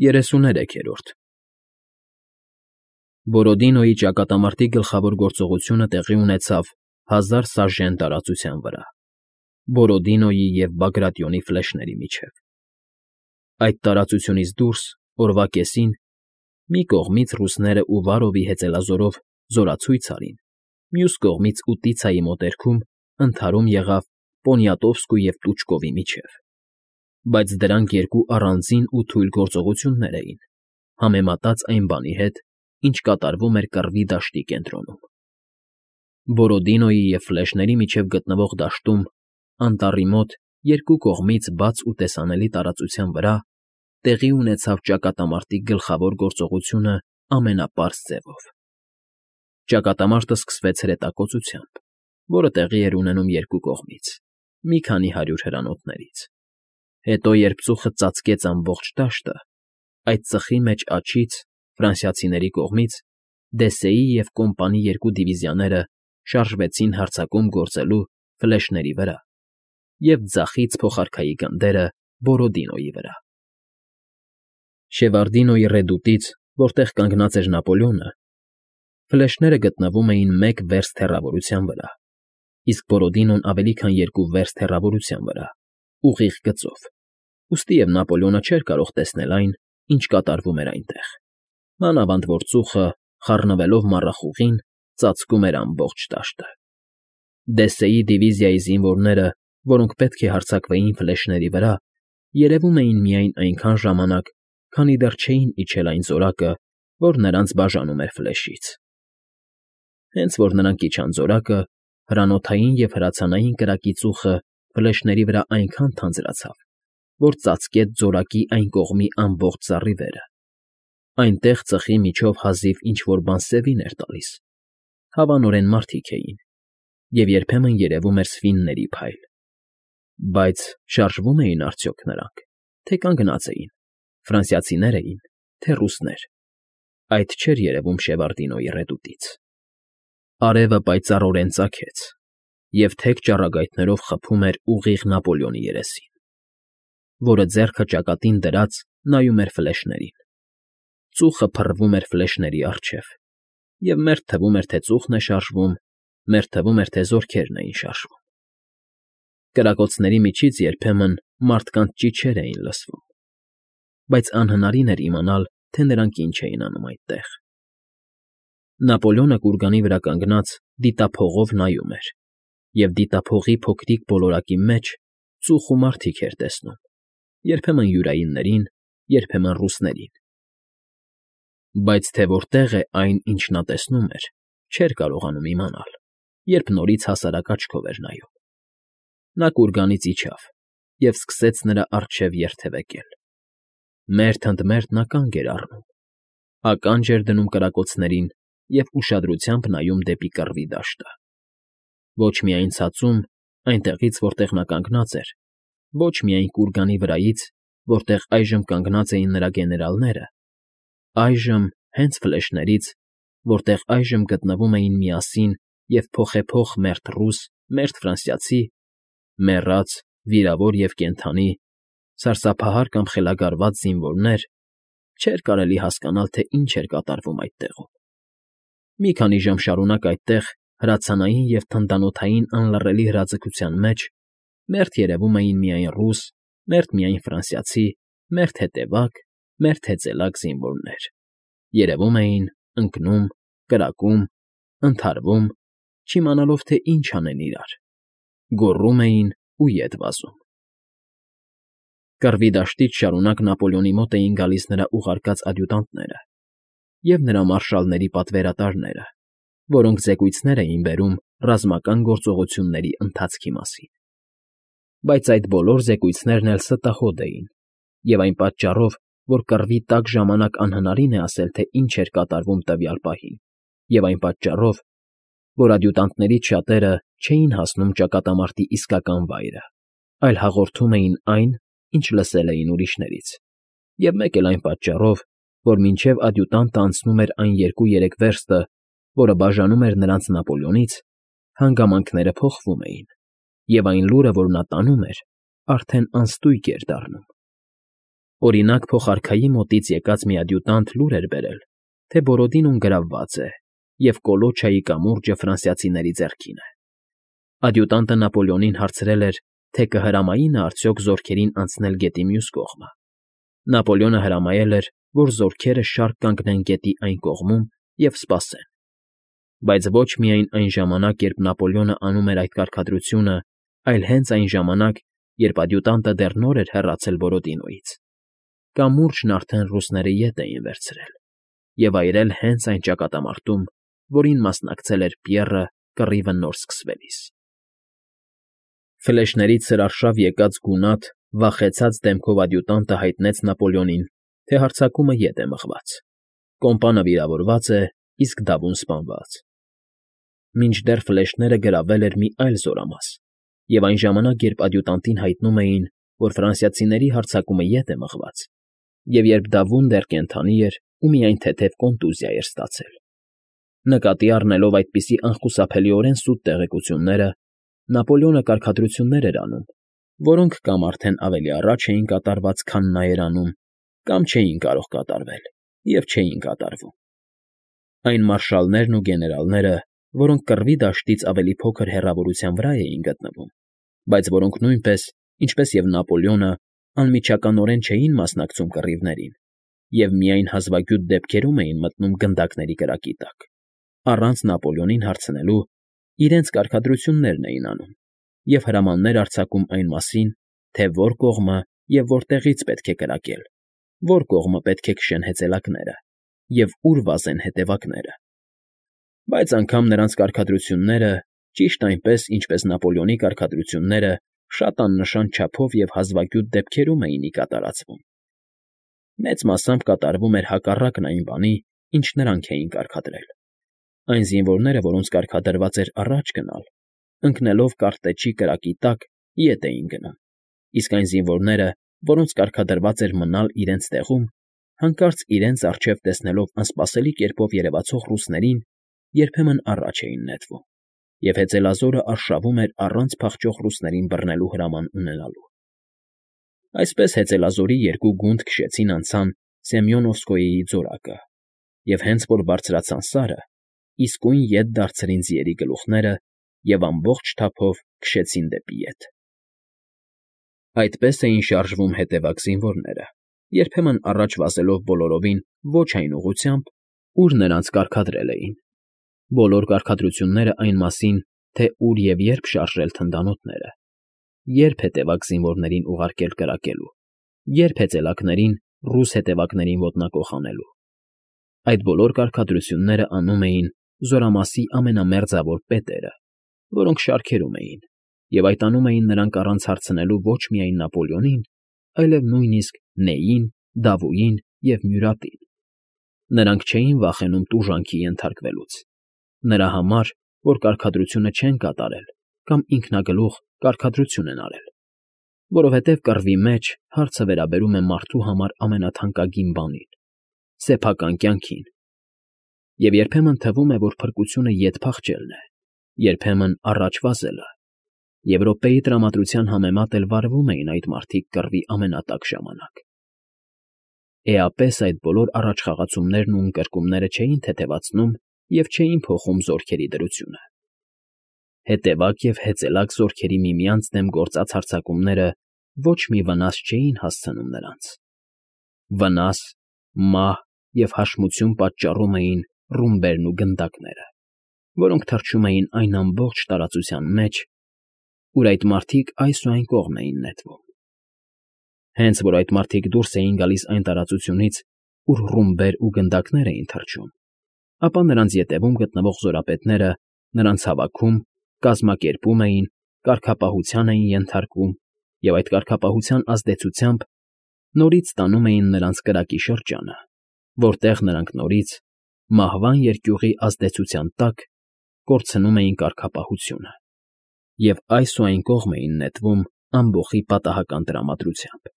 33-րդ Բորոդինոյի ճակատամարտի գլխավոր գործողությունը տեղի ունեցավ 1000 սաժեն տարածության վրա, Բորոդինոյի և Բագրատիոնի ֆլեշների միջև։ Այդ տարածությունից դուրս, օրվա կեսին, մի կողմից ռուսները ու Վարովի հեծելազորով զորացույց արին, մյուս կողմից Ուտիցայի մոտերքում ընդհարում եղավ Պոնիատովսկու և Տուչկովի միջև։ Բայց դրանք երկու առանձին ու թույլ գործողություններ էին, համեմատած այն բանի հետ, ինչ կատարվում էր Կռվի դաշտի կենտրոնում։ Բորոդինոյի և ֆլեշների միջև գտնվող դաշտում, անտառի մոտ, երկու կողմից բաց ու տեսանելի տարածության վրա տեղի ունեցավ ճակատամարտի գլխավոր գործողությունը ամենապարզ ձևով։ Ճակատամարտը սկսվեց հրետակոծությամբ, որը տեղի էր ունենում երկու կողմից, մի քանի 100 հրանոթներից։ Հետո, երբ ծուխը ծածկեց ամբողջ դաշտը, այդ ծխի մեջ աջից, ֆրանսիացիների կողմից, Դեսեի և Կոմպանի երկու դիվիզիաները շարժվեցին հարձակում գործելու ֆլեշների վրա և ձախից փոխարքայի գնդերը Բորոդինոյի վրա։ Շևարդինոյի ռեդուտից, որտեղ կանգնած էր Նապոլեոնը, ֆլեշները գտնվում էին 1 վերստ հեռավորության վրա, իսկ Բորոդինոն ավելի քան 2 վերստ հեռավորության վրա, ուղիղ գծով, ուստի և Նապոլեոնը չէր կարող տեսնել այն, ինչ կատարվում էր այնտեղ, մանավանդ որ ծուխը, խառնվելով մառախուղին, ծածկում էր ամբողջ դաշտը։ Դեսեի դիվիզիայի զինվորները, որոնք պետք է հարձակվեին ֆլեշների վրա, երևում էին միայն այնքան ժամանակ, քանի դեռ չէին իջել այն զորակը, որ նրանց բաժանում էր ֆլեշից։ Հենց որ նրանք իջան զորակը, հրանոթային և հրացանային կրակի ծուխը ֆլեշների վրա այնքան թանձրացավ, որ ծածկեց զորակի այն կողմի ամբողջ զառիվերը։ Այնտեղ ծխի միջով հազիվ ինչ֊որ բան սևին էր տալիս, հավանորեն մարդիկ էին, և երբեմն երևում էր սվինների փայլ։ Բայց շարժվո՞ւմ էին արդյոք նրանք, թե կանգնած էին, ֆրանսիացիներ էին, թե ռուսներ։ Այդ չէր երևում Շևարդինոյի ռեդուտից։ Արևը պայծառորեն ծագեց և թեք ճառագայթներով խփում էր ուղիղ Նապոլեոնի երեսին, որը ձեռքը ճակատին դրած նայում էր ֆլեշներին։ Ծուխը փռվում էր ֆլեշների առջև, և մերթ թվում էր, թե ծուխն է շարժվում, մերթ թվում էր, թե զորքերն էին շարժվում։ Կրակոցների միջից երբեմն մարդկանց ճիչեր էին լսվում, բայց անհնարին էր իմանալ, թե նրանք ինչ էին անում այդտեղ։ Նապոլեոնը կուրգանի վրա կանգնած դիտափողով նայում էր, և դիտափողի փոքրիկ ոլորակի մեջ ծուխ ու մարդիկ էր տեսնում, երբեմն յուրայիններին, երբեմն ռուսներին։ Բայց թե որտեղ է այն, ինչ նա տեսնում էր, չէր կարողանում իմանալ, երբ նորից հասարակ աչքով էր նայում։ Նա կուրգանից իջավ և սկսեց նրա առջև երթևեկել։ Մերթ ընդ մերթ նա կանգ էր առնում, ականջ էր դնում կրակոցներին և ուշադրությամբ նայում դեպի Կռվի դաշտը։ Ոչ միայն ցածում, այնտեղից, որտեղ նա կանգնած էր, ոչ միայն կուրգանի վրայից, որտեղ այժմ կանգնած էին նրա գեներալները, այժմ հենց ֆլեշներից, որտեղ այժմ գտնվում էին միասին և փոխեփոխ մերթ ռուս, մերթ ֆրանսիացի, մեռած, վիրավոր և կենդանի, սարսափահար կամ խելագարված զինվորներ, չէր կարելի հասկանալ, թե ինչ էր կատարվում այդտեղում։ Մի քանի ժամ շարունակ այդտեղ, հրացանային և թնդանոթային անլռելի հրաձգության մեջ, մերթ երևում էին միայն ռուս, մերթ միայն ֆրանսիացի, մերթ հետևակ, մերթ հեծելակ զինվորներ։ Երևում էին, ընկնում, կրակում, ընդհարվում, չիմանալով, թե ինչ անեն իրար, գոռում էին ու ետ վազում։ Կռվի դաշտից շարունակ Նապոլեոնի մոտ էին գալիս նրա ուղարկած ադյուտանտները և նրա մարշալների պատվերատարները, որոնք զեկույցներ էին բերում ռազմական գործողությունների ընթացքի մասին։ Բայց այդ բոլոր զեկույցներն էլ ստահոդ էին, և այն պատճառով, որ կռվի տաք ժամանակ անհնարին է ասել, թե ինչ էր կատարվում տվյալ պահին, և այն պատճառով, որ ադյուտանտներից շատերը չէին հասնում ճակատամարտի իսկական վայրը, այլ հաղորդում էին այն, ինչ լսել էին ուրիշներից, և մեկ էլ այն պատճառով, որ մինչև ադյուտանտը անցնում էր այն 2-3 վերստը, որը բաժանում էր նրանց Նապոլեոնից, հանգամանքները փոխվում էին, և այն լուրը, որ նա տանում էր, արդեն անստույգ էր դառնում։ Օրինակ, փոխարքայի մոտից եկած մի ադյուտանտ լուր էր բերել, թե Բորոդինոն գրավված է, և Կոլոչայի կամուրջը ֆրանսիացիների ձեռքին է։ Ադյուտանտը Նապոլեոնին հարցրել էր, թե կհրամայի նա արդյոք զորքերին անցնել գետի մյուս կողմը։ Նապոլեոնը հրամայել էր, որ զորքերը շարք կանգնեն գետի այն կողմում և սպասեն։ Բայց ոչ միայն այն ժամանակ, երբ Նապոլեոնը անում էր այդ կարգադրությունը, այլ հենց այն ժամանակ, երբ ադյուտանտը դեռ նոր էր հեռացել Բորոդինոյից։ Կամուրջն արդեն ռուսները ետ էին վերցրել և այրել հենց այն ճակատամարտում, որին մասնակցել էր Պիեռը կռիվը նոր սկսվելիս։ Ֆլեշներից սրարշավ եկած գունատ, վախեցած դեմքով ադյուտանտը հայտնեց Նապոլեոնին, թե հարձակումը ետ է մղված։ Կոմպանը վիրավորված է, իսկ դավուն սպանված։ Մինչդեռ ֆլեշները գրավել էր մի այլ զորամաս, և այն ժամանակ, երբ ադյուտանտին հայտնում էին, որ ֆրանսիացիների հարձակումը ետ է մղված, և երբ դավուն դեռ կենդանի էր ու միայն թեթև կոնտուզիա էր ստացել։ Նկատի առնելով այդպիսի անխուսափելիորեն սուտ տեղեկությունները, Նապոլեոնը կարգադրություններ էր անում, որոնք կամ արդեն ավելի առաջ էին կատարված, քան նա էր անում, կամ չէին կարող կատարվել և չէին կատարվում։ Այն մարշալներն ու գեներալները, որոնք կռվի դաշտից ավելի փոքր հեռավորության վրա էին գտնվում, բայց որոնք նույնպես, ինչպես և Նապոլեոնը, անմիջականորեն չէին մասնակցում կռիվներին և միայն հազվագյուտ դեպքերում էին մտնում գնդակների կրակի տակ, առանց Նապոլեոնին հարցնելու, իրենց կարգադրություններն էին անում և հրամաններ արձակում այն մասին, թե որ կողմը և որտեղից պետք է կրակել, որ կողմը պետք է քշեն հեծելակները և ուր վազեն հետևակները։ Բայց անգամ նրանց կարգադրությունները, ճիշտ այնպես, ինչպես Նապոլեոնի կարգադրությունները, շատ աննշան չափով և հազվագյուտ դեպքերում էին ի կատարածվում։ Մեծ մասամբ կատարվում էր հակառակն այն բանի, ինչ նրանք էին կարգադրել։ Այն զինվորները, որոնց կարգադրված էր առաջ գնալ, ընկնելով կարտեջի կրակի տակ, ետ էին գնում, իսկ այն զինվորները, որոնց կարգադրված էր մնալ իրենց տեղում, հանկարծ իրենց առջև տեսնելով անսպասելի կերպով երևացող ռուսներին, երբեմն առաջ էին նետվում, և հեծելազորը արշավում էր առանց փախչող ռուսներին բռնելու հրաման ունենալու։ Այսպես հեծելազորի երկու գունդ քշեցին անցան Սեմյոնովսկոյեի ձորակը, և հենց որ բարձրացան սարը, իսկույն ետ դարձրին ձիերի գլուխները և ամբողջ թափով քշեցին դեպի ետ։ Այդպես էին շարժվում հետևակ զինվորները, երբեմն առաջ վազելով բոլորովին ոչ այն ուղղությամբ, ուր նրանց կարգադրել էին։ Բոլոր կարգադրությունները այն մասին, թե ուր և երբ շարժել թնդանոթները, երբ հետևակ զինվորներին ուղարկել կրակելու, երբ հեծելակներին ռուս հետևակներին ոտնակոխ անելու։ Այդ բոլոր կարգադրությունները անում էին զորամասի ամենամերձավոր պետերը, որոնք շարքերում էին, և այդ անում էին նրանք առանց հարցնելու ոչ միայն Նապոլեոնին, այլև նույնիսկ Նեյին, Դավուին և Մյուրատին։ Նրանք չէին վախենում տուժանքի ենթարկվելուց, նրա համար, որ կարգադրությունը չեն կատարել կամ ինքնագլուխ կարգադրություն են արել, որովհետև կռվի մեջ հարցը վերաբերում է մարդու համար ամենաթանկագին բանին՝ սեփական կյանքին, և երբեմն թվում է, որ փրկությունը ետ փախչելն է, երբեմն առաջ վազելը, և րոպեի տրամադրության համեմատ էլ վարվում էին այդ մարդիկ կռվի ամենատաք ժամանակ։ Էապես այդ բոլոր առաջխաղացումներն ու ընկրկումները չէին թեթևացնում և չէին փոխում զորքերի դրությունը։ Հետևակ և հեծելակ զորքերի միմյանց դեմ գործած հարձակումները ոչ մի վնաս չէին հասցնում նրանց։ Վնաս, մահ և հաշմություն պատճառում էին ռումբերն ու գնդակները, որոնք թռչում էին այն ամբողջ տարածության մեջ, ուր այդ մարդիկ այս ու այն կողմ էին նետվում։ Հենց որ այդ մարդիկ դուրս էին գալիս այն տարածությունից, ուր ռումբեր ու գնդակներ էին թռչում, ապա նրանց ետևում գտնվող զորապետները նրանց հավաքում, կազմակերպում էին, կարգապահության էին ենթարկում և այդ կարգապահության ազդեցությամբ նորից տանում էին նրանց կրակի շրջանը, որտեղ նրանք նորից, մահվան երկյուղի ազդեցության տակ, կորցնում էին կարգապահությունը և այս ու այն կողմ էին նետվում ամբոխի պատահական տրամադրությամբ։